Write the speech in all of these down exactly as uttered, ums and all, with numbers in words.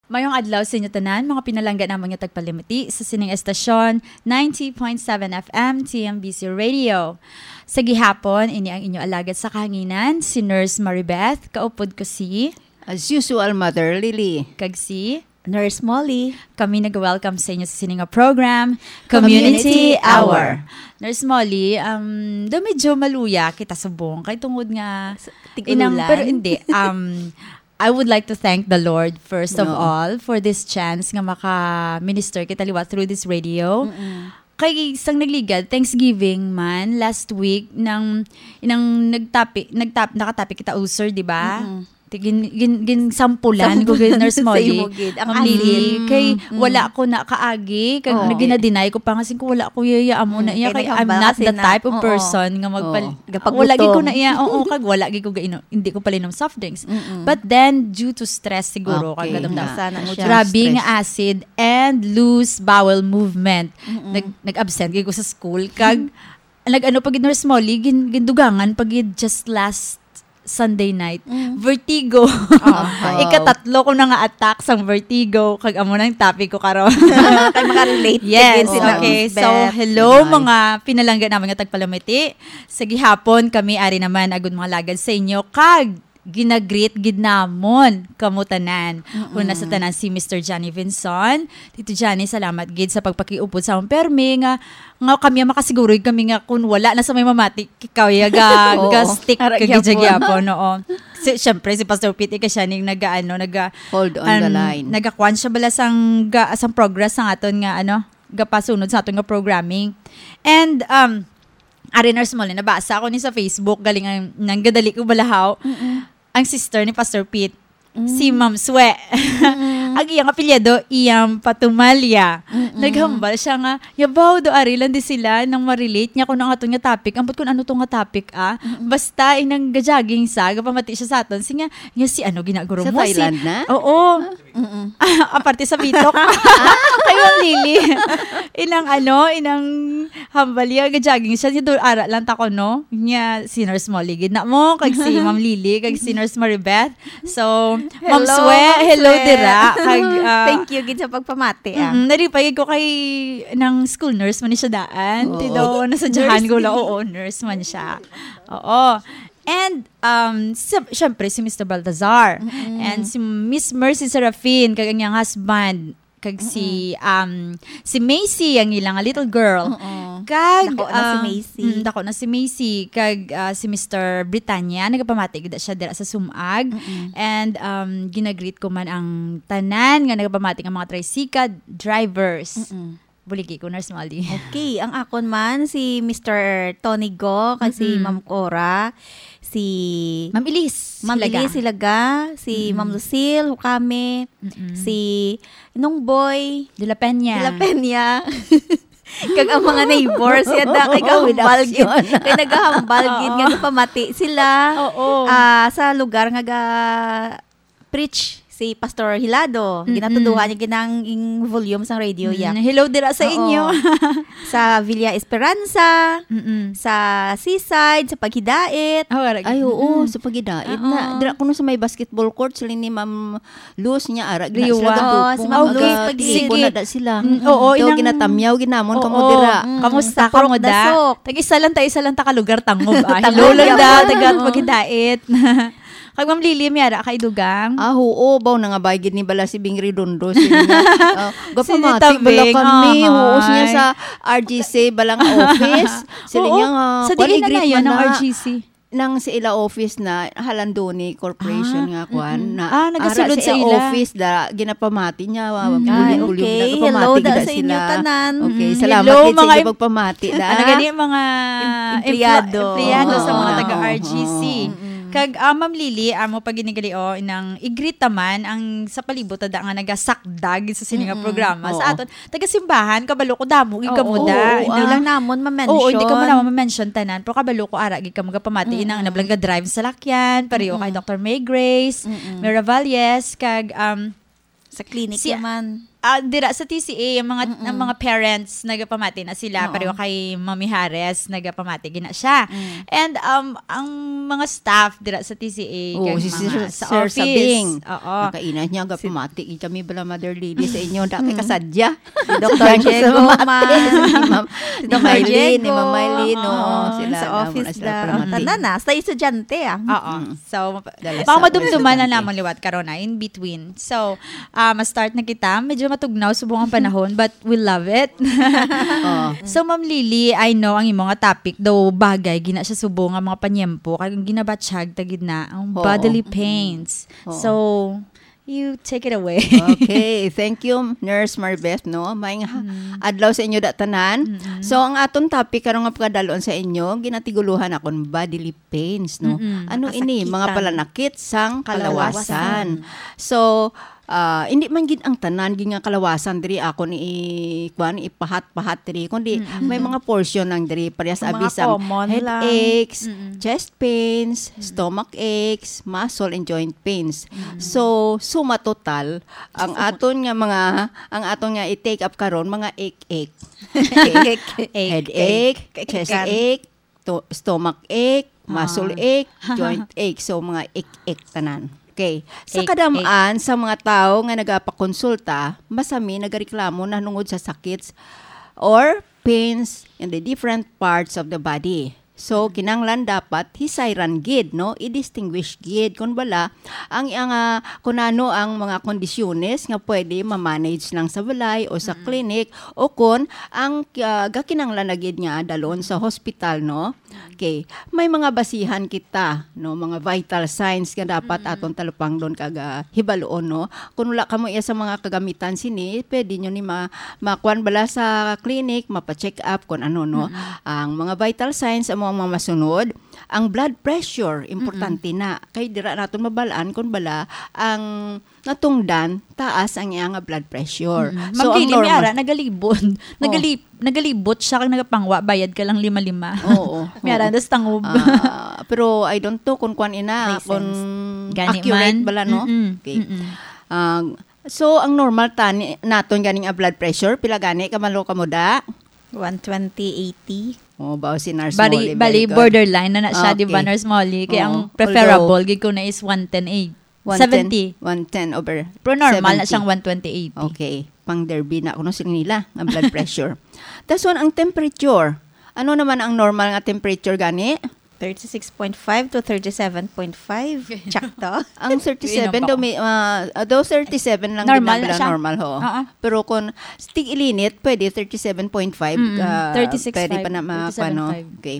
Mayong adlaw sa inyo tanan, mga pinalangga namon nga tagpalamati sa sining estasyon, ninety point seven F M T M B C Radio. Sa gihapon, ini ang inyo alagad sa kahanginan, si Nurse Maribeth, kaupod ko si As usual, Mother Lily. Kag si Nurse Molly. Kami nag-welcome sa inyo sa sini nga program, Community Community Hour. Hour. Nurse Molly, um, do medyo maluya kita subong kay tungod nga Tig-ulan. Pero hindi. Um, I would like to thank the Lord, first of No. all, for this chance nga maka-minister kita liwat through this radio. Mm-mm. Kay sang nagligad, Thanksgiving man, last week, nang, inang nagtapi, nagtap-, nakatapi kita ulcer, di ba? Mm-mm. Ti-, gin-, gin-, ginsampulan Sampulan. ko gid, Nurse Sa Molly. imo gid. Ang Ma'am Lily, asin. kay Mm-mm. wala ko na kaagi, kag Oo. ginadinay ko pa nga, sing ko, wala ko yaya amo na Mm, iya, kay kay I'm naghambal not kasi the na, type of oo. person nga magpal-, Oo. Gapagutom. wala gid ko na iya, oo, kag wala gid ko gainom, hindi ko palinom soft drinks. Mm-mm. But then, due to stress siguro, Okay, kag gadam na. Sana na siya. Grabe Stress. nga acid and loose bowel movement. Mm-mm. Nag-, nag-absent gid ko sa school, kag nag-ano pa gid, Nurse Molly, gin-, gindugangan pa gid just last Sunday night. Mm. Vertigo. Ah. Ikatatlo ko na nga attack sang vertigo, kag amo nang topic ko karon. Kay makarelate Yes, din si Nurse okay. So, Beth. hello, Hi. mga pinalangga naman nga tagpalamiti. Sa gihapon, kami ari naman, agud mga lagad sa inyo, kag ginagreet gid namon kamo tanan. Mm-mm. Una sa tanan, si Mister Johnny Vinson. Tito Johnny, salamat gid sa pagpakiupod sa amon permi nga, nga kami ang makasiguroy kami nga kung wala na sa may mamati, ikaw ya ga, Oo. ga stick Ara ka gid sa gyapon. gyapon, oo. Si, syempre, si Pastor Pete, ika siya ning naga, ano, naga, Hold on the um, line. nagakuan siya bala sang, ga, sang progress sang aton nga, ano, gapasunod sa aton nga programming. And, um, ari, Nurse Molly, nabasa ko ni sa Facebook, galing ang, nang gadali ko balahaw, Mm-mm. ang sister ni Pastor Pete, Mm. si Ma'am Swe. Mm. Ang iyang apelyido, iyang Patumalia. Mm-mm. Naghambal siya nga, "Yabaw, do ari lang di sila nang ma-relate niya kung ang aton nga topic." Ambot kung ano to nga topic, ah. Mm-mm. Basta, inang ga-jogging sa, gapamati siya sa aton. Siya nga, "Nga si ano, ginaguro Sa mo?" Si Thailand na? Oo. Ah. Mm-mm. Aparte sa bitok. Kay Ma'am Lily. Inang ano, inang hambal iya, ga-jogging siya. Siya, "Dul-, ara lang ta ko, no?" Nya, si Nurse Molly gid na mo, kag si Ma'am Lily, kag si Nurse Maribeth. So, Ma'am Hello, Swe, Ma'am hello Swe. dira. Kag, ah, Thank you gid sa pagpamati, ah. Mm, nalipay ko kay nang school nurse man ni siya daan. Oo. Ti daw, nasadyahan ko lang, Nurse. oo, nurse man siya. Oo. And, um, sa-, syempre, si Mister Baltazar. Mm-mm. And si Miss Mercy Serafin, kag ang iyang husband. Kag si, Mm-mm. um, si Macy, ang ilang little girl. Oo. Kag, Dako na si um, Macy. mm, dako na si Macy. Kag, ah, si Mister Britannia, nagapamati gid siya dira sa Sumag. Mm-mm. And, um, ginagreet ko man ang tanan nga nagapamati nga mga tricycle drivers. Mm-mm. Buligi ko, Nurse Molly. Okay, ang akon man, si Mister Tony Go, kag si Mm-mm. Ma'am Cora, si Ma'am Elise Ma'am Hilaga. Elise Hilaga, si Mm-mm. Ma'am Lucille Hukame, Mm-mm. si Nong Boy De La Peña. De La Peña. Kag ang mga neighbors, yan na, kay Oo, gahambal gid. Kay nagahambal gid Oo. nga gapamati sila, Oo. ah, sa lugar nga ga-, preach si Pastor Hilado. Mm-mm. Ginatuduhan niya ginang ing volume sang radio, Mm, yak. hello dira sa Oo. inyo. Sa Villa Esperanza, Mm-mm. sa Seaside, sa Paghidait. Oh, wala Ay, gid. oo, Mm-mm. sa Paghidait Oo. na. Dira kuno sa may basketball court, sila ni Ma'am Luz niya, ara, gina Liwa. sila Oo, gapupong, si Ma'am Luz aga, Paglipo Sige. na da sila. Mm, oo, Daw inang ginatamyaw, ginamon kamo Oo. dira. Mm, Kamusta sa kamo Purok da? Dasok. Tag-isa lang ta, isa lang ta ka lugar, tangob, ah. Hello Tangob lang da, yapon. taga Oo. Paghidait. Kag Ma'am Lily, may ara kay dugang? Ah, oo, baw, nangabay gid ni bala si Bing Redondo, sila nga, ah, Sila gapamati bala Tabing, kami, oo, siya ay. sa R G C, bala nga office. Sila Oo, niya nga, sa kwan, diin na i-greet na yun man ang na. R G C? Nang sa ila office na Halandoni Corporation Ah, nga kwan, mm-mm. na Ah, nagasulod ara sa sa ila. office da, ginapamati niya, wa-, Mm. bulyong-bulyong Ay, okay. na, Hello gapamati da gid sa inyo sila. tanan. Okay, Mm. salamat Hello, gid sa mga inyo em-, pagpamati da. ano gani, mga Em-, empleyado. emplo-, empleyado sa mga Oo. taga-R G C. Oo. Mm-mm. Kag, ah, Ma'am Lily, amo pa gid ni gali, oh, inang i-greet ta man ang sa palibot ta da nga nagasakdag sa sini nga Mm-mm. programa. Sa Oo. aton, taga-simbahan, kabalo ko, damo gid Oo, kamo da. oo, Hindi ah. lang namon ma-mention. Oo, hindi kamo namon ma-mention tanan, pero kabalo ko, ara gid kamo gapamati, Mm-mm. inang nablang ga-drive sa lakyan, pareho kay Mm-mm. Doctor May Grace, Mm-mm. Miravalles, kag, um, Sa clinic si naman. Ah, dira sa T C A, ang mga, Mm-mm. ang mga parents nagapamati na sila, Oo. pareho kay Mami Harris, nagapamati gina siya. Mm. And, um, ang mga staff dira sa T C A, Oo, kag si mga Sir, sa Sir office. Sabing. Oo. Nakainat niya, Si gapamati gid kami bala, Mother Lily, sa inyo. Dati Mm. kasadya. Si Doctor Diego, ma'am. Si Ma'am Doctor Maylene, ni Diego. Ma'am Maylene, oo, Oo, sila sa lang, office wala sila da. pamati. Tanan na, sa estudyante, ah. Oo. Mm. So, Dala baka sa madumduman na office. namon liwat karon na, in between. So, ah, ma-start na kita. Medyo matugnaw subong ang panahon, but we love it. Oo. So, Ma'am Lily, I know ang imo nga topic, daw bagay, gina siya subong ang mga panyempo, kag ang ginabatsyag ta gid na, ang Oo. bodily pains. Oo. So, you take it away. Okay, thank you, Nurse Marbeth, no? Maayong ha-, Mm. adlaw sa inyo da tanan. Mm-mm. So, ang aton topic karon nga pagkadalon sa inyo, ginatiguluhan akon bodily pains, no? Mm-mm. Ano ini? Mga Kasakitan. palanakit sang Kalawasan. kalawasan. So, ah, hindi man gid ang tanan gid nga kalawasan diri akon i-, kuwan, ipahat-pahat diri, kundi Mm-mm. may mga portion lang diri, parehas Ang mga abi sang common lang. headaches, Mm-mm. chest pains, Mm. stomach aches, muscle and joint pains. Mm. So, suma total, ang aton nga mga, ang aton nga i-take up karon, mga ache-ache. Ache-ache. Headache, Ache-ache. chest ache, to-, stomach ache, muscle Ah. ache, joint ache. So, mga ache-ache tanan. Okay. Sa Ache-ache. kadam-an sa mga tawo nga nagapakonsulta, masami nagareklamo na nungod sa sakits or pains in the different parts of the body. So, kinahanglan dapat hisayran gid, no? I-distinguish gid kung bala ang, ang, ah, kung ano ang mga kondisyones nga pwede ma-manage lang sa balay o sa Mm. clinic o kung ang, ah, gakinahanglan na gid nga dalon sa hospital, no? Mm. Okay. May mga basihan kita, no? Mga vital signs nga dapat Mm. aton talupangdon kag, ah, hibaluon, no? Kung wala kamo iya sa mga kagamitan sini, pwede nyo ni ma-, makuan bala sa clinic, mapa-check up kung ano, no? Mm-mm. Ang mga vital signs amo ang mga masunod. Ang blood pressure, importante Mm-mm. na. Kay dira naton mabalaan kung bala ang natungdan taas ang iya nga blood pressure. Mm-mm. So, Ma'am ang Lily, may normal ara, nagalibot. Oh. Nagalib-, nagalibot siya kag nagapangwa, bayad ka lang lima-lima. Oo, May ara, oo. das tangob. Ah, pero I don't know kung kuan ina, Presence. kung Gani accurate man. bala, no? Mm-mm. Okay. Mm-mm. Ah, So, ang normal tani naton ganing, ah, blood pressure, pila gani ka malo ka muda? One twenty eighty. Oh, bao si Nurse Bali, Molly, bali, very good. borderline na na siya, di ba, Okay. Nurse Molly? Kaya ang Oo. preferable Although, gid ko na is one ten eight. One ten, seventy. one ten over Pero normal na seventy. siyang one twenty eighty. Okay. Pang derby na kuno sila nila ang blood pressure. That's one, ang temperature. Ano naman ang normal nga temperature gani? Thirty-six point five to thirty-seven point five. Tsakto. Ang thirty-seven Yun ang daw may, ah, ah, daw thirty-seven lang Normal din na ang siya. normal, ho. Oo. Pero kung tig-ilinit, pwede thirty-seven point five, Mm, ah, thirty-six pwede five, pa na ma-, thirty-seven five. ano. Okay.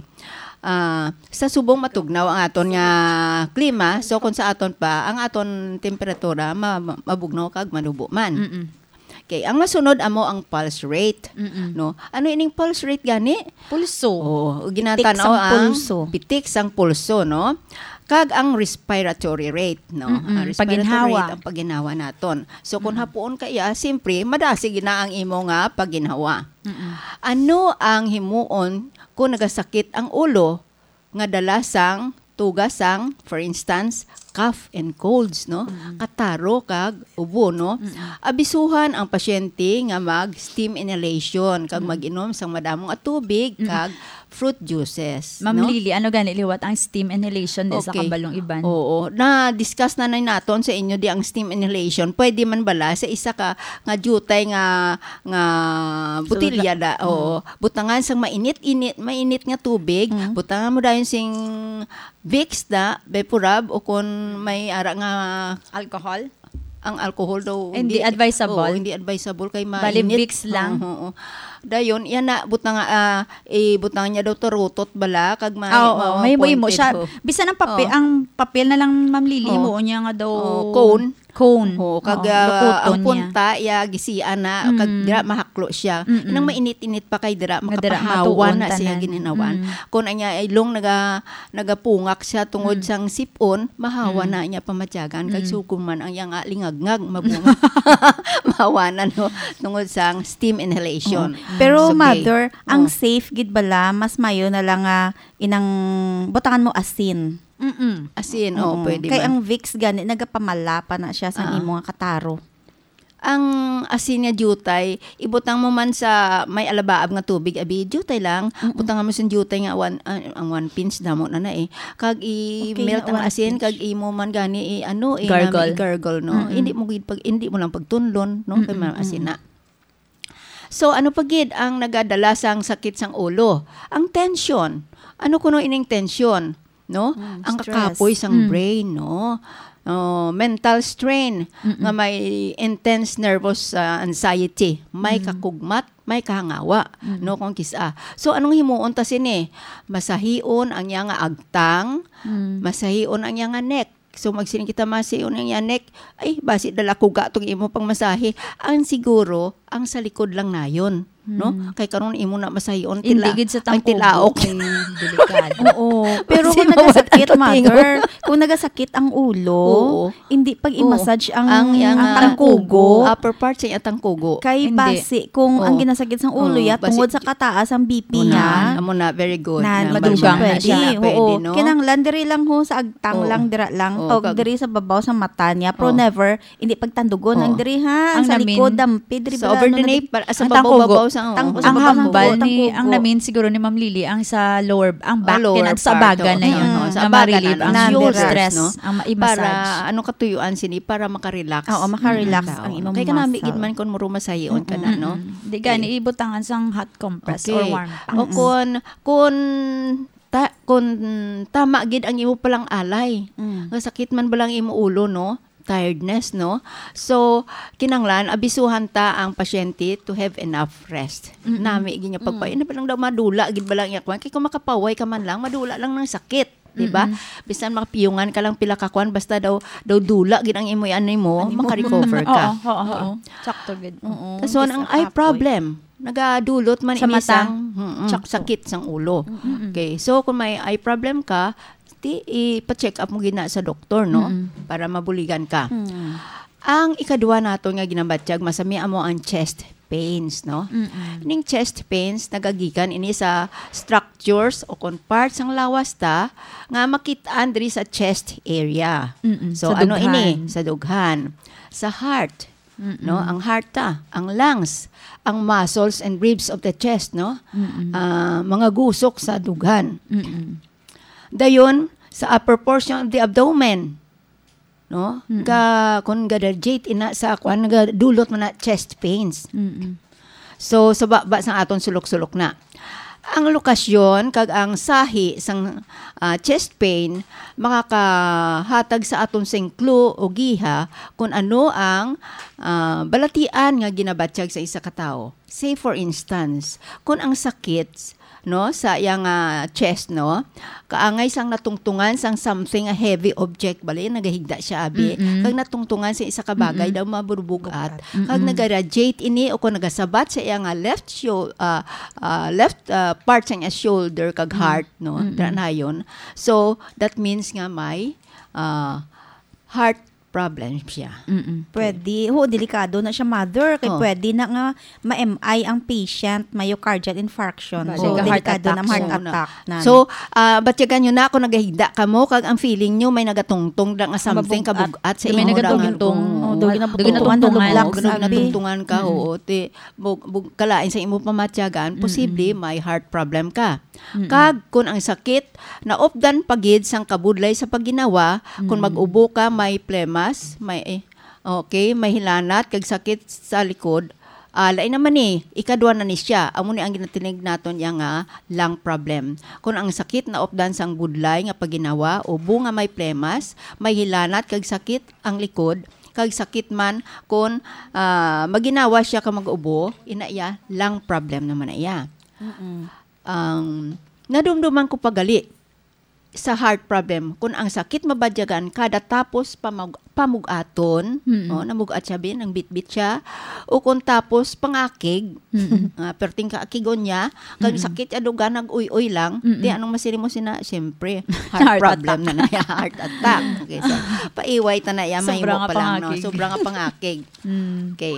Ah, sa subong matugnaw ang aton nga klima, so kung sa aton pa, ang aton temperatura ma-, ma-, mabugnaw kag manubo man. Mm-mm. Okay, ang masunod amo ang pulse rate, Mm-mm. no? Ano ining pulse rate gani? Pulso. Oo, ginatanaw Pitik sang ang pulso. pitik sang pulso, no? Kag ang respiratory rate, no? Mm-mm, Ang respiratory paginhawa. rate, ang paginhawa naton. So, kung Mm-mm. hapuon ka iya, siyempre, madasig na ang imo nga paginhawa. Mm-mm. Ano ang himuon kung nagasakit ang ulo nga dala sang tuga sang, for instance, cough and colds, no? Mm-mm. Kataro kag ubo, no? Mm-mm. Abisuhan ang pasyente nga mag-steam inhalation kag Mm. mag-inom sang madamo nga tubig Mm. kag fruit juices, Ma'am no? Lily, ano gani liwat ang steam inhalation di sa Okay. kabalong iban? Oo. Na-discuss na na naton sa inyo di ang steam inhalation. Pwede man bala sa isa ka nga diutay nga, nga Sulod botilya na. da? Oo. Mm. Butangan sang mainit-init, mainit nga tubig. Mm. Butangan mo dayon sing Vicks da, Vapurub, o kung may ara nga Alcohol? ang alcohol daw, Hindi hindi, advisable? oo, hindi advisable kay Bali, mainit. Vicks lang? Oo, oo. Dayon, yan na, butang, ah, eh, butang niya daw turutot bala, kag may, Ah, oo, may, may mo pointed, siya. oo. Bisan ang papel, Oo. ang papel na lang, Ma'am Lily, Oo. mo niya nga daw Oo, cone. cone. Oo, kag, Oo, ah, lukuton ang niya. punta, iya, gisian na, kag Mm. dira mahaklo siya. Mm-mm. Inang mainit-init pa kay dira, Nga dira makapahawa matuon na siya tanan. gininawan. Mm. Kung anya, ilong naga-, nagapungak siya tungod Mm. sang sipon, mahawa Mm. na niya pamatyagan. Kag Mm. sugod man ang iyang, ah, lingagngag, mabunga. Mahawa na, no? Tungod sang steam inhalation. Oo. Pero, So, okay. Mother, ang Oh. safe gid bala, mas mayo na lang nga inang butangan mo asin. Mm-mm. Asin, oh, Oo. pwede Kay man. ang Vicks gani, nagapamala pa na siya sa Ah. imo nga kataro. Ang asin nga diutay, ibutang mo man sa may alabaab nga tubig, abi, diutay lang. Mm-mm. Butang mo sa diutay nga one, ah, ang one pinch, damo na na eh. Kag Okay, i-melt na ang one asin, pinch. Kag imo man gani i-, ano, eh, Gargle. Nami i-gargle, no? Mm-mm. Hindi mo gid pag, hindi mo lang pagtunlon, no? Kay Mm-mm, maasin mm-mm. na. So, ano pa gid ang nagadala sang sakit sang ulo? Ang tension. Ano kuno ining tension? No? Mm, Ang stress. kakapoy sang Mm. brain, no? Oh, mental strain Mm-mm. nga may intense nervous, ah, anxiety, may Mm. kakugmat, may kahangawa, Mm. no, kung kisa. So, anong himuon ta sini? Masahion ang iya nga agtang, Mm. masahion ang iya nga neck. So, magsiling kita, "Masahion ang iya neck." Ay, basi dala ko ga tong imo pang masahe. Ang siguro, ang sa likod lang nayon, no? Mm. Kay karon imo na masahion, Hindi tila-, gid sa ang tangkugo tilaok. Kay delikado. Oo. Pero Kasi kung mawat nagasakit, ang tutingo. Mother, kung nagasakit ang ulo, Oo. hindi pag Oo. i-massage ang, Ang, ang ang tangkugo. Upper part sa iya tangkugo. Kay Hindi. basi kung ang Oo. ginasakit sang ulo Oo, ya, basi tungod sa kataas ang B P Amo na, niya, amo na, very good. Na, Na, hindi siya madugang na pwede. siya. Pwede, Oo. no? Kinahanglan diri lang ho sa agtang Oo. lang, dira lang. Oo, Tawag kag diri sa babaw sa mata niya. Pero Oo. never, hindi pagtandugon ang Oo. diri, ha? Ang Ang sa namin, likod, dampi, diri sa bala, over ano the na nape, di-, para sa ang babaw, tangkugo. babaw sa, Tang-, oo. sa Ang babaw, hambal tangkugo, ni, ang tangkugo. namin siguro ni Ma'am Lily, ang sa lower, ang Ah, back, lower kinat-, sa part, baga oo. na yun, Mm. Oo, sa na baga ma-relieve na, ang na yung shoulders, stress, no? ang ma-, i-massage. Para, ano, katuyuan sini, para makarelax Oo, makarelax ang tao, ang no? imong Kay kanami gid muscle. man kung muro masahion ka na, Mm-mm. no? Mm-mm. Di gani, Okay. ibutangan sang hot compress or Okay. warm pack. O Mm-mm. kun, kun ta-, kun tama gid ang imo palang alay, Mm. nga sakit man bala ang imo ulo, no? Tiredness, no? So, kinanglan, abisuhan ta ang pasyente to have enough rest. Mm-mm. Nami gid nga pagpa-, Mm. ano ba lang daw, madula gid ba lang iya kwan? Kay kung makapaway ka man lang, madula lang ng sakit, di ba? Mm-mm. Bisan makapiyungan ka lang pila ka kwan, basta daw, daw dula gid ang imo, ano mo, Ano mo? makarecover ka. Oo, oo, oo. Oo. Sakto gid. Oo. Kaso Bisan ang eye kapoy. problem, nagadulot man Sa ini mata. sang, mm, Sakto. sakit sang ulo. Mm-mm. Okay, so kung may eye problem ka, ti, ipa-check up mo gid na sa doktor, no? Mm-mm. Para mabuligan ka. Mm. Ang ikadua nato nga ginabatyag, masami amo ang chest pains, no? Mm-mm. Ning chest pains, nagagikan ini sa structures o kon parts sang lawas ta nga makit-an diri sa chest area. Mm-mm. So, Sa ano dughan. ini? Sa dughan. Sa heart, Mm-mm. no? Ang heart ta, ang lungs, ang muscles and ribs of the chest, no? Mm-mm. Ah, mga gusok sa dughan. Mm-mm. Dayon, sa upper portion of the abdomen, no? Mm-mm. Ga-, kung ga-radiate ina sa kwan, nagadulot man na chest pains. Mm-mm. So, sa baba sa aton sulok-sulok na. Ang lokasyon kag ang sahi sang, ah, chest pain makakahatag sa aton sing clue o giha kung ano ang, ah, balatian nga ginabatyag sa isa ka tawo. Say, for instance, kung ang sakit, no, sa iyang, ah, chest, no, kaangay sang natungtungan sang something, a heavy object, bali, nagahigda siya, abi, Mm-mm. kag natungtungan sa isa ka bagay Mm-mm. daw mabubugat, Bugat. kag Mm-mm. nagaradiate ini o kung nagasabat sa iyang, ah, left shou-, ah, ah, left, ah, part sa iyang shoulder kag Mm. heart, no, Mm-mm. dira na yun. So, that means nga may, ah, heart problem siya. Mm-mm. Okay. Pwede. Ho, delikado na siya, mother. Kay Oh. pwede na nga ma-M I ang patient, myocardial infarction. Bali, So, ga-heart delikado attack na, heart siya. Oo na. attack na. So, ah, batyagan nyo na kung nagahigda ka mo, kag ang feeling nyo may nagatungtong na nga something, Mabugat. kabugat sa May imo na nga, nagatungtong. oo. Oh, daw Daw ginabutungan, ginabutungan. Nalublock, Daw sabi. ginabutungan ka, Mm. oo. Ti, bug-, bug-, kalain sa imo pamatyagan, posible Mm-mm. may heart problem ka. Mm-mm. Kag kung ang sakit naupdan pa gid sang kabudlay sa pagginawa, kung Mm. mag-ubo ka, may plemas, may, eh, okay, may hilanat kag sakit sa likod, ah, lain naman ni, ikadwa na ni siya. Amo ni ang ginatinig naton iya nga lung problem. Kung ang sakit naupdan sang budlay nga pagginawa, ubo nga may plemas, may hilanat kag sakit ang likod, kag sakit man kung, ah, maginawa siya ka mag-ubo, ina iya, lung problem naman na iya. Mm-mm. Ang nadumduman ko pa gali sa heart problem, kung ang sakit mabadyagan kada tapos pamag-, pamug-aton, Mm-mm. oh, namug-at siya, bin, ang bitbit siya, o kung tapos pangakig, Mm-mm. ah, perting kaakigon niya, kag Mm-mm. sakit ya duga, nag-uy-uy lang, Mm-mm. di anong masiri mo sina, siyempre, heart Heart problem attack. na na, heart attack. Okay, so, paiway ta na ya, Sobra mahimo nga pa lang, no? pangakig. Sobra nga pangakig. Mm. Okay.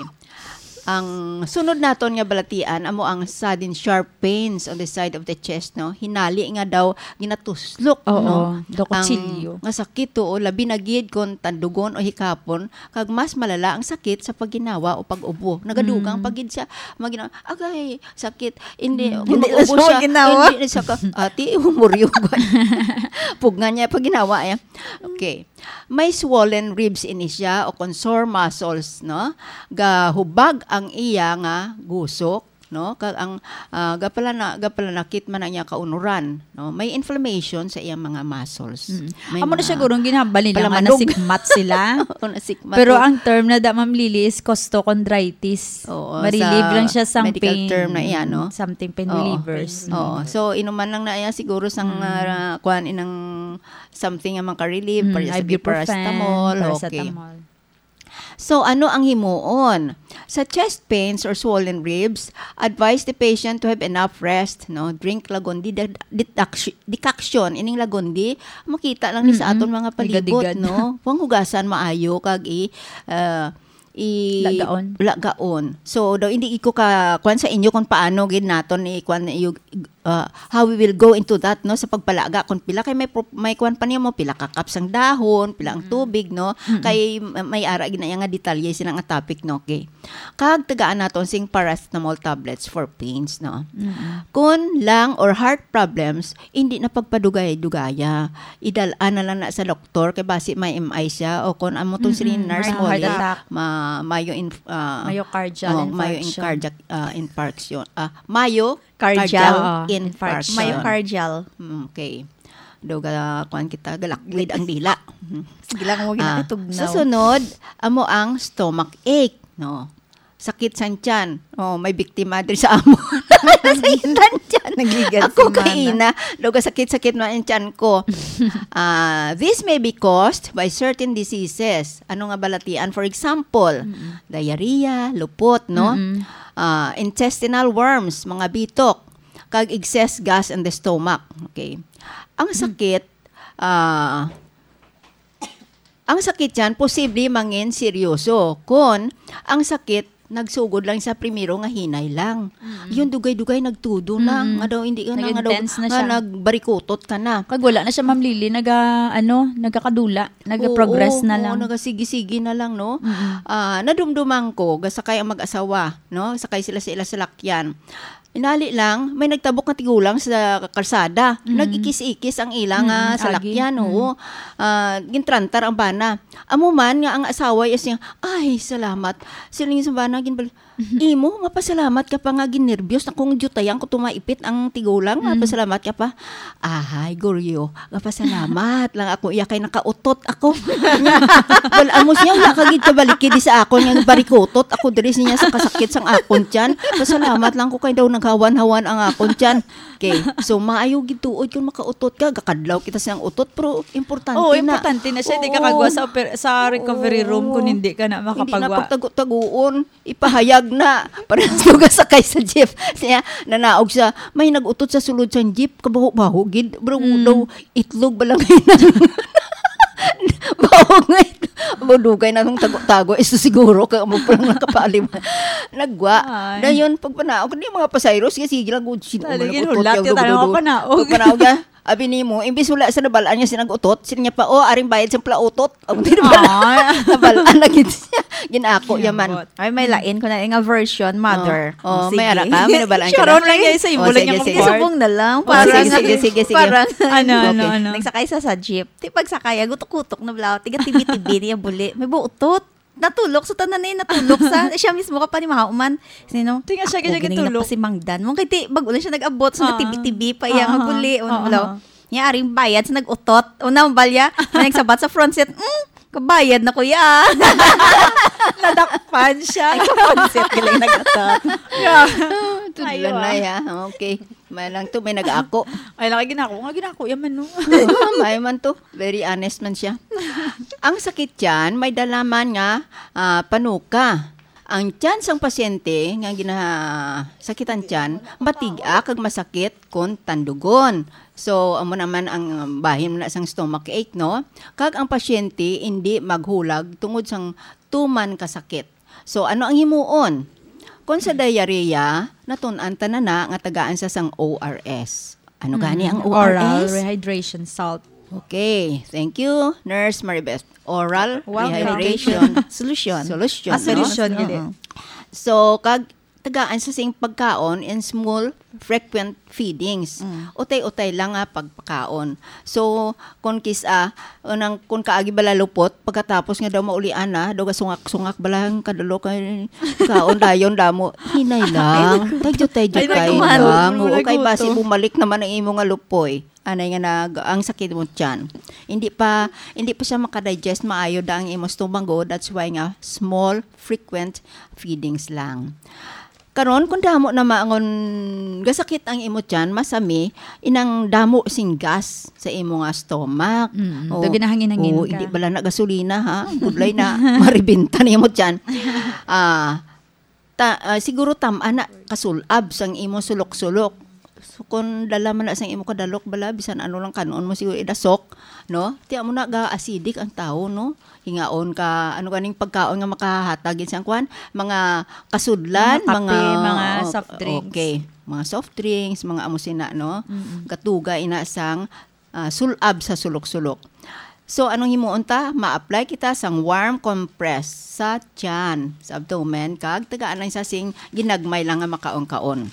Ang sunod naton nga balatian amo ang sudden sharp pains on the side of the chest, no? Hinali nga daw ginatuslok, Oo, no? Daw kutsilyo. Ang nga sakit, oo, labi na gid kon tandugon o hikapon, kag mas malala ang sakit sa pagginhawa o pag-ubo. Nagadugang Mm. pa gid siya, magina-, "Agay, sakit." Hindi, Mm. kung Hindi na mag-ubo siya siya, magginhawa. Hindi na siya ka, "Ate, humuryo ba?" Pugna niya pagginhawa, eh. Okay. May swollen ribs ini siya o kon sore muscles, no? Gahubag ang iya nga gusok, no? Kag ang, ah, gapalana-, gapalanakit man ang iya kaunuran, no? May inflammation sa iyang mga muscles. Mm. May Amo na mga siguro ang ginhambal nila nga palamanog. Nasikmat sila. Oo, nasikmat Pero to. Ang term na da, Ma'am Lily, is costochondritis. Oo, Marelieve sa lang siya sang medical pain. Term na iya, no? Something pain Oo. relievers. Oo. Mm. So, inuman lang na iya siguro sang, Mm. ah, kuan, inang something nga makarelieve, Mm, para sa ibuprofen, paracetamol, okay. Paracetamol. So, ano ang himuon? Sa chest pains or swollen ribs, advise the patient to have enough rest, no? Drink Lagundi de-, deduct-, decoction. Ining Lagundi, makita lang ni sa Mm-mm. aton mga palibot, Higadigad. No? Panghugasan maayo kag i-, ah, i-, Lagaon. Lagaon. So, daw hindi ko ka, kuwan sa inyo kung paano gid naton i-, kuwan, i-, uh, how we will go into that, no, sa pagpalaga, kung pila kay may pro-, may kuwan pa niya mo, pila ka cups ang dahon, pila ang Mm. tubig, no, Mm-mm. kay ma-, may ara gid na iya nga detalye sina nga topic, no, okay. Kag tagaan naton sing paracetamol tablets for pains, no. Mm-mm. Kun lung or heart problems, hindi na pagpadugay-dugaya. Idal-an na lang na sa doktor kay basi may M I siya o kun amo tong Mm-mm. sini nurse May mo, heart attack. Ma-, mayo inf-, ah, Myocardial oh, mayo infarction. Incardiac-, ah, infarction. Ah, mayo Cardial. Cardial Oo, infarction. Infarction. Myocardial. Mm, okay. Daw ga-, kuwan kita, galakwid ang dila. Sige lang, huwag Ah, na itugnaw. Sa sunod, amo ang stomach ache, no? Sakit sang tiyan. Oh, may biktima diri sa amo. Sakit ang tiyan. Nagigat Ako si Mana. Kaina, daw ga sakit-sakit man ang tiyan ko. Ah, this may be caused by certain diseases. Ano nga balatian? For example, Mm-mm. diarrhea, lupot, no? Mm-mm. Ah, intestinal worms, mga bitok, kag excess gas in the stomach. Okay. Ang Hmm. sakit, ah, ang sakit yan posible mangin seryoso kon ang sakit nagsugod lang sa primero nga hinay lang. Mm. Yun, dugay-dugay nagtudo na, Mm. nga daw hindi ka na, nga daw, Nag-intense na nga siya. Nagbarikutot ka na. Kag wala na siya, Ma'am Lily, naga-, ano, nagakadula, naga-progress Oo, na oo, lang. Nagasigi-sigi na lang, no? Mm-mm. Ah, nadumduman ko, gasakay ang mag-asawa, no? Sakay sila sa ila salakyan. Inali lang, may nagtabok nga tigulang sa kalsada. Mm. Nag-ikis-ikis ang ila nga Mm, agi. Salakyan, Mm. oo. Ah, gintrantar ang bana. Amo man nga ang asawa iya siya, "Ay, salamat." Siling sa bana, ginbal-, Mhm. "Imo, mapasalamat ka pa nga ginerbyos na kung jutayang ko tumaipit ang tigulang, Mm. mapasalamat ka pa." "Ahay, Goryo, mapasalamat lang ako iya kay nakautot ako." Wala, amo siya, wala ka gid kabalikid sa akon nga barikutot ako diri siya sa kasakit sang akon tiyan. "Pasalamat lang ko kay daw naghawan-hawan ang akon tiyan." Okay, so maayo gid tuod kung makautot ka, gakadlaw kita sa iyang utot, pero importante Oo, na. Importante na siya, hindi ka Oo. Kagwa sa oper-, sa recovery room Oo. Kung hindi ka na Hindi na makapagwa. Pagtago-taguon, ipahayag na. Parang suga sakay sa jeep. Siya, nanaog siya, may nag-utot sa sulod sa jeep, kabaho-baho gid, bro, Mm. daw, itlog ba lang yun? Baho nga itlog. Abo, dugay na nung tago-tago. Iso siguro ka mo pa lang nakapaalim. Nagwa. Ay. Dayon, pagpanaog, hindi mga pasayro, sige, sige lang, good, sin-, Talaga, umalakot, hulat, yaw, yaw, dugo, tanawa, dugo. Panaog. Pagpanaog, ah, abi nimo, imbis wala sa nabalaan niya sinag-utot, sila niya pa, "Oh, aring bayad sa pala utot." Ang di ba? Ay. Nabalaan na gid siya. Ginako, yaman. Ambot. Ay, may lain ko na nga version, mother. Oh, oh, may ara ka? May nabalaan ka na? Sharon lang yan sa imo, Oh, lang sige, yung sige. Part. Isubong na lang. Oh, Parang, sige, sige, sige, sige. Parang, Ano, ano, Okay. ano? Nagsakay sa, sa jeep. Ti pagsakay, ah, gutok-gutok na bala. Tiga tibi-tibi niya buli. May buutot. Natulok sa tanan eh, natulok sa. Siya mismo ka pa ni mahuman. Sino? Ti nga siya, Ako, ganyan gini gitulok. Na pa si Mang Dan. Mong kay ti, bago lang siya nag-abot, so Ah. natibi-tibi pa iya nga Ah. buli. Ano, Ah. bala? Niya, aring bayad sa nag-utot. Una, ang balya, may nagsabat sa front seat, "Mm, kabayad na, kuya." Nadakpan siya. Ay, sa front seat, galing nag-utot. Yeah. Tudlan Ayo, na, ah. Ya. Okay. May lang to, may nag-ako. Ay, laki ginako. Nga ginako, yaman, no? May man to. Very honest man siya. Ang sakit tiyan, may dala man nga, ah, panuka. Ang tiyan sang pasyente nga ginasakitan tiyan, matig-a kag masakit kon tandugon. So, amo naman ang bahin na sang stomach ache, no? Kag ang pasyente hindi maghulag tungod sang tuman ka sakit. So, ano ang himuon? Kung sa diarrhea, natun-an ta na na nga tagaan sa sang O R S. Ano gani ang Mm, oral O R S? Rehydration salt. Okay, thank you, Nurse Maribeth. Oral Welcome. Rehydration Solution. Solution, Ah, no? solution, gid. Oo. So, kag tagaan sa sing pagkaon in small, frequent feedings. Mm. Utay-utay lang nga pagpakaon. So, kung kis-, ah, unang, kung kaagi bala lupot, pagkatapos nga daw maulian na, daw gasungak-sungak bala ang kadalo kay kaon dayon damo. Hinay lang. Taydo-taydo Ay, kay naku, lang. Wala Oo, kay basi gutom. Bumalik naman ang imo nga lupoy. Anay nga nag-, ang sakit mo tiyan. Hindi pa, hindi pa siya makadigest maayo da ang imo stomago. That's why nga small, frequent feedings lang. Karon, kung damo na mangon gasakit ang imo tiyan, masami, inang damo sing gas sa imo nga stomach. Mm, O, daw ginahangin-hangin o, ka. Hindi bala na gasolina, ha? Budlay na, maribinta na imo tiyan. Ah, ta-, ah, siguro tam-an na kasulab sang imo sulok-sulok. So, kung dala man na sang imo kadalok bala, bisan ano lang kanon mo siguro idasok, no? Tiya mo na ga-acidic ang tao, no? Hingaon ka, ano ganing pagkaon nga makahatag gid sang kwan? Mga kasudlan, Mga kape, mga, mga o, soft drinks. Okay. Mga soft drinks, mga amo sina, no? Mm-mm. Gatuga ina sang, ah, sulab sa sulok-sulok. So, anong himuon ta? Ma-apply kita sang warm compress sa tiyan, sa abdomen, kag tagaan lang sa sing ginagmay lang nga makaon-kaon.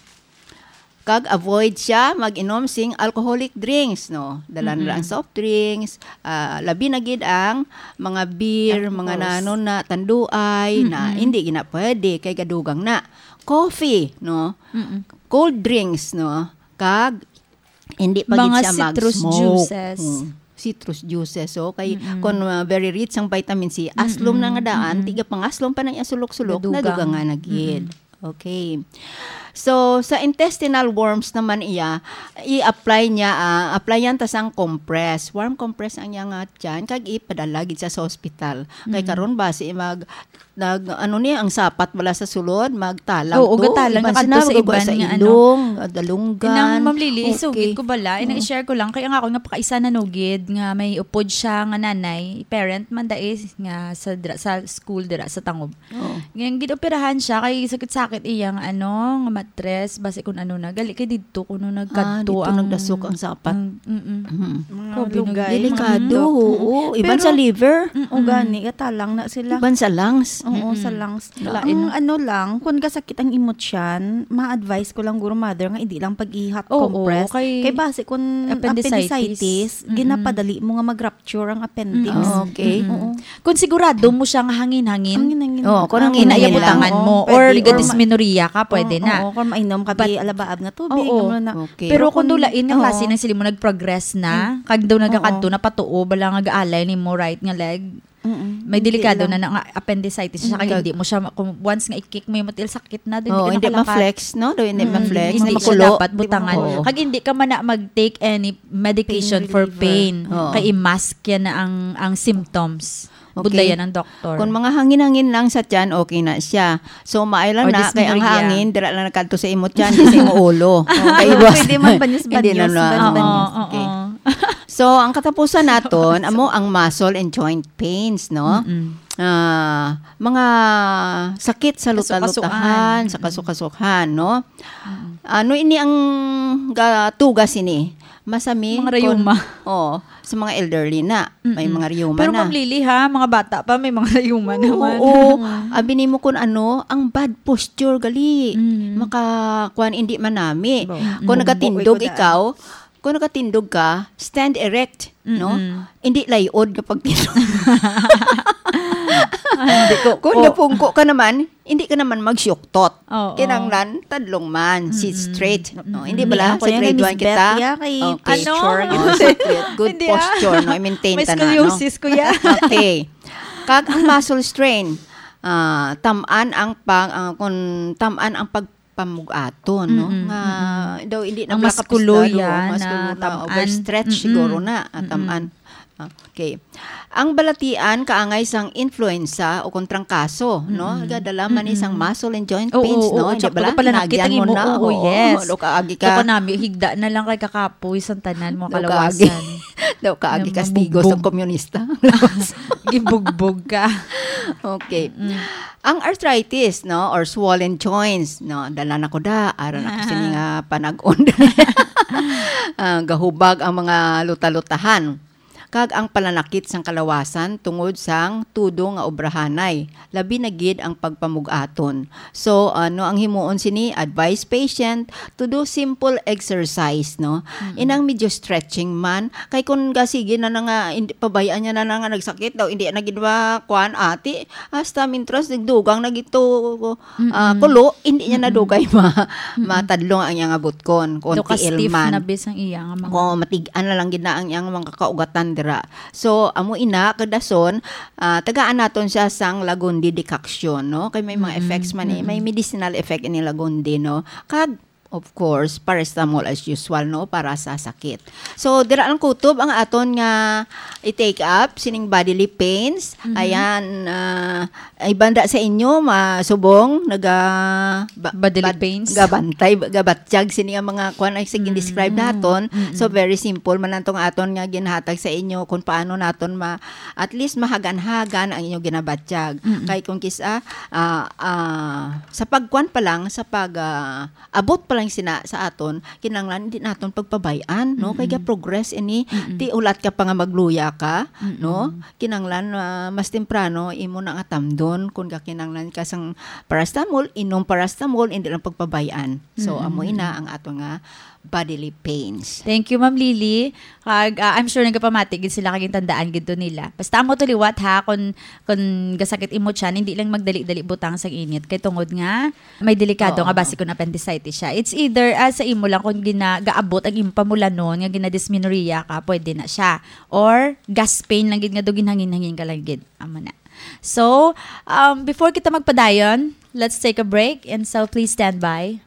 Kag avoid siya mag-inom sing alcoholic drinks, no? Dala na lang Mm-mm. soft drinks, ah, labi na gid ang mga beer, Alcohols. Mga nano na, tanduay, na Mm-mm. hindi gina pwede kay gadugang na. Coffee, no? Mm-mm. Cold drinks, no? Kag hindi pa gid Mga siya citrus mag-smoke. Juices. Mm. Citrus juices, so kay Mm-mm. kung, uh, very rich ang vitamin C, aslom na nga Mm-mm. daan, Mm-mm. tiga pangaslom pa na iya sulok-sulok, Gadugang. Nadugangan na gid. Mm-mm. Okay. So, sa intestinal worms naman iya, i-apply niya, ah, applyan ta sang compress. Warm compress ang iya nga tiyan, kag ipadala gid sa, sa hospital. Kay Mm. karon basi mag, nag, ano ni, ang sapat bala sa sulod, magtalang Oo, to. Gatalang Iban na kadto sina, sa iban sa nga, ano. Ilong, ah, dalunggan. Inang Ma'am Lily, Okay. isugid ko bala, inang Oo. i-share ko lang, kay ang ako nga pakaisa nanugid, nga may upod siya nga nanay, parent man dai, nga sa dra-, sa school dira sa Tangob. Oo. Nga gid-operahan siya kay sakit-sakit iyang ano, nga matres, basi kun ano na. Gali kay didto kuno Ah, nagkadto didto ang nagdasok ang sapat. ang, mm-mm. Mhm. Mga Grabe, no? Lugay, mga Delikado, bundok. oo. Iban Pero, sa liver. Mm-mm. O gani, gatalang na sila. Iban sa lungs. Oo, sa Mm-mm. lungs. Lain, Ang no? ano lang, kung kasakit ang imot siyan, ma-advise ko lang, guro, mother, nga hindi lang pag-i-hot Oo, compress. kay Kay basi kung appendicitis. Appendicitis, Mm-mm. ginapadali mo nga mag-rupture ang appendix. Mm-mm. Ah, okay. Mm-mm. Oo. Kung sigurado mo siya nga hangin-hangin, Hangin-hangin. Oh, kung Ang hangin-hangin ina-, lang. butangan Oo, mo, pwede. or Or ma- ligadismenorrhea ka, pwede Oo, na. oo, kung mainom ka, But, di alabaab nga tubig, oo. Ano na. Okay. Pero Pero kung kung, dulain nga oo. klase ng sili mo nag-progress na, Mm. kag daw nagakadto Oo. na patuo, bala nga gaalay nimo right nga leg, Mm-mm. may Hindi delikado lang. na, na nga appendicitis siya, kag Kag hindi mo siya ma-, kung once nga i-kick mo yung matil, sakit na, daw Oo, hindi ka hindi nakalakat. ma-flex, no? Daw hindi Mm, ma-flex, hindi hindi siya makulo. dapat Hindi butangan. makulo. Kag hindi ka man na mag-take any medication Pain for reliever. pain. Oo. Kay i-mask yan na ang, ang symptoms. Okay. Budlayan ang doktor. Kung mga hangin-hangin lang sa tiyan, okay na siya. So, maayo lang Or na, kay ang dysmenorrhea. hangin, dira lang nagkadto sa imo tiyan, di sa imo ulo. Oo. Kay iwas. Pwede man banyos-banyos, Hindi na, no? banyos-banyos. Oo, oo, Okay. oo. So, ang katapusan naton, amo ang muscle and joint pains, no? Mm-mm. Ah, mga sakit sa Kasukasuan. luta-lutahan, sa Mm-mm. kasukasuhan, no? Mm-mm. Ano ini ang ga-, tugas ini? Masami Mga kun-, rayuma. oh, sa mga elderly na, may Mm-mm. mga rayuma Pero na. Ma'am Lily, ha, mga bata pa, may mga rayuma Oo, naman. oo. Mm. Abi nimo kun ano, ang bad posture gali. Mm. Maka-, kuwan, hindi manami. Bo. Mm. Kung Bumbo, nagatindog ikaw, ikuda. Kung nagatindog ka, stand erect, no? Mm-mm. Hindi layod nga pagtindog. Hindi ko Kung po. napungko ka naman, hindi ka naman magsyuktot. Oo. Kinahanglan, tadlong man, sit Mm-mm. straight. No? Mm-mm. Hindi Hindi bala, ako sa yan, grade Miss one kita? Beth, ya, kay Okay. Ano? Posture, Oh, no? sit straight. Good Hindi, ah. posture, no? I-maintain May ta na, no? scoliosis ko, ya. Okay. Kag ang muscle strain, ah, tam-an ang pang-, ah, kung tam-an ang pagpamug-aton, no? Mm-mm, Nga mm-mm. daw hindi na Ang pala muskulo kapislado, yan, muskulo na na tam-an. overstretch Mm-mm. siguro na, ah, Mm-mm. tam-an. Ah, okay. Ang balatian kaangay sang influenza o kung trangkaso, no? Mm-mm. Gadala man ni sang Mm-mm. muscle and joint Oo, pains, oo, no? Hindi tsaka bala, pala nakita hinagyan mo mo, na. oo, Oo, yes. do kaagi Ito ka. ka nami, higda na lang kay kakapoy sang tanan mo Do kaagi. kalawasan. Do kaagi Nga kastigo sa mabugbog. komunista. Gibugbog ka. Okay. Ang arthritis, no, or swollen joints, no, dala na ko da, aron ako sini nga panag-on. Ah, gahubag ang mga luta-lutahan. Kag ang palanakit sang kalawasan tungod sang tudo nga obrahanay, labi na gid ang pagpamug-aton. So, ano ang himuon sini? Advise patient to do simple exercise, no? Inang medyo stretching man, kay kun gasige na na nga, hindi, pabayaan niya na na nga nagsakit daw, hindi na gid ma-, kuan, ati, hasta mintras nagdugang na gito, ah, kulo, hindi niya na dugay ma-, matadlong ang iyang butkon, kung Do ka tiil stiff man. na bis ang iya nga mga Kung matig-an na lang gid na ang iyang mga kaugatan dira. So, amo ina, kadason, ah, tagaan naton siya sang Lagundi decoction, no? Kay may mga Mm, effects man eh, may mm. medicinal effect ini Lagundi, no? Kag, of course, paracetamol as usual, no? Para sa sakit. So, dira lang kutob ang aton nga i-take up, sining bodily pains. Mhm. Ayan, ah, ay banda sa inyo, masubong, naga-, ba-, Bodily bad-, pains. gabantay, gabatyag, sini nga mga kuan ay sige describe Mm, naton. mm. So, very simple man lang tong aton nga ginhatag sa inyo kung paano naton ma-, at least mahagan-hagan ang inyong ginabatyag. Mm-mm. Kay kung kisa, ah, ah, sa pagkuan pa lang, sa pag, ah, abot pa lang sina sa aton, kinahanglan hindi naton pagpabay-an, no? Kay Mm-mm. ga-progress ini, Mm-mm. ti ulat ka pa nga magluya ka, Mm-mm. no? Kinahanglan, ah, mas temprano imo na nga tamdon kung gakinahanglan ka sang paracetamol, inom paracetamol, hindi lang pagpabay-an. So, Mm-mm. amo ina ang ato nga bodily pains. Thank you, Ma'am Lily. Kag, ah, I'm sure nagapamati gid sila kag tandaan gid to nila. Basta amo to liwat ha, kung, kung gasakit imo tiyan, hindi lang magdali-dali butang sang init. Kay tungod nga, may delikado Oo. nga basi kung appendicitis siya. It's either, ah, sa imo lang kung gina-, gaabot ang imong pamulanon nga ginadysmenorrhea ka, pwede na siya. Or gas pain lang gid nga do ginhangin-hangin ka lang gid. Amo na. So, um, before kita magpadayon, let's take a break and so please stand by.